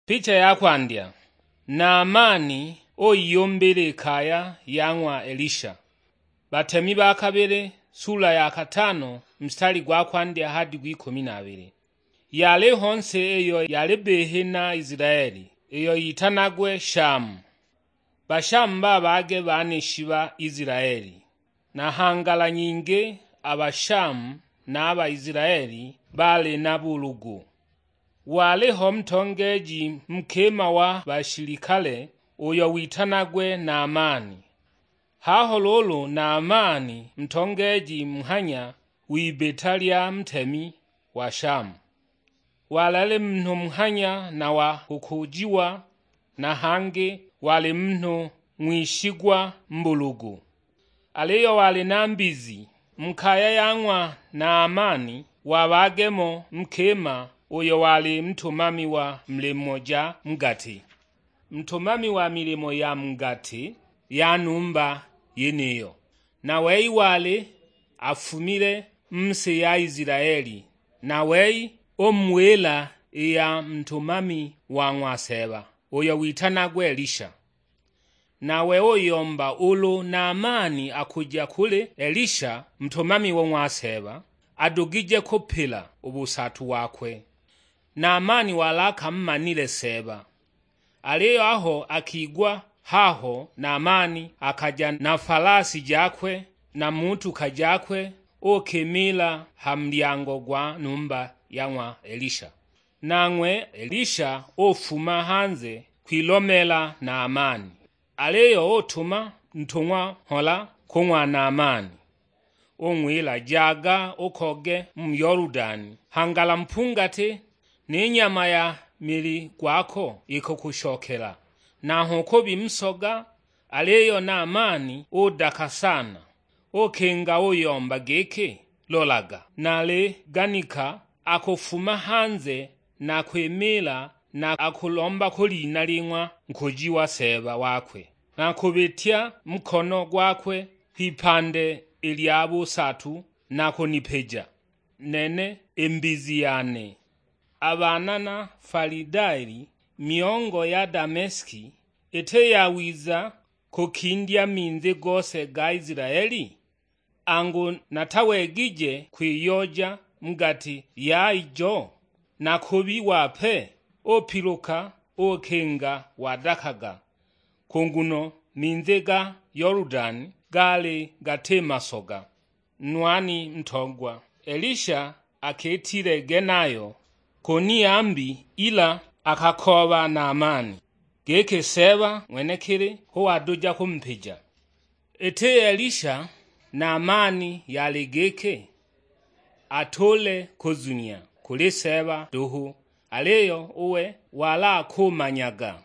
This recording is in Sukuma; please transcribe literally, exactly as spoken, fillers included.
Picha ya kwandya. Naamani uyiyumbila i kaya ya ng'wa Elisha. Batemi ba kabili, sula ya katano, mstari gwa kwandya hadi gw'ikumi na abili. Yaliho nsi iyo yali bihi na Isilaeli, iyo yitanagwe Shamu. Bashamu ba baage banishi ba Isilaeli, na nghangala nyingi a Bashamu na a Baisilaeli baali na bulugu. Waliho ntongeeji nkima wa bashilikale uyo witanagwe Naamani. Haho luulu Naamani ntongeeji nghanya w'ibita lya ntemi wa Shamu. Walali munhu nghanya na wa kukujiwa, na hangi wali munhu ng'wishigwa mbulugu. Aliyo wali na mbizi. Mu kaya ya ng'wa Naamani wabaagemo nkima uyo wali ntumami wa milimo ja mu gati, ntumami wa milimo ya mu gati ya numba yeniyo. Na wei wali afumile mu si ya Isilaeli, na wei umuwila i ya ntumami wa ng'wa Seeba, uyo witanagwa Elisha. Nawe uyomba ulu Naamani akuja kuli Elisha, ntumami wa ng'wa Seeba, adugije kupila u busatu wakwe. Naamani wali akamumanile Seeba. Aliyo aho akigwa haho, Naamani akaja na falasi jakwe na mutuka jakwe, uukimiila ha mulyango gwa numba ya ng'wa Elisha. Nang'we Elisha ufuma hanze kwilomeela Naamani, aliyo utuma ntung'wa mhola ku ng'wa Naamani, ung'wila, "Jaga ukoge mu Yoludani, hangala mpungati ni nyama ya mili gwako ikukushokela." Nanghwe ukubi musoga, aliyo Naamani udaka sana, ukinga uyomba giki, "Lolaga, naliganika akufuma hanze na kwimiila na akulomba ku lina ling'wa nkuji wa Seeba wakwe, na kubitya mukono gwakwe kwipande i lya busatu na kunipija nene i mbizi yane." A baana na Falidaeli, myongo ya Dameski, iti yawiza kukindya minzi gose ga Isilaeli? Angu, natawegije kwiyoja mu gati ya ijo? Na kubi wape, upiluka ukinga wadakaga, ku nguno minzi ga Yoludani gaali gati masoga. Nwani ntogwa, Elisha akitile genayo ku niyambi, ila akakooba Naamani, giki Seeba ng'wenekili hu waduja kumupija. Iti Elisha, Naamani yali giki atule kuzunya kuli Seeba duhu, aliyo uwe wali akumanyaga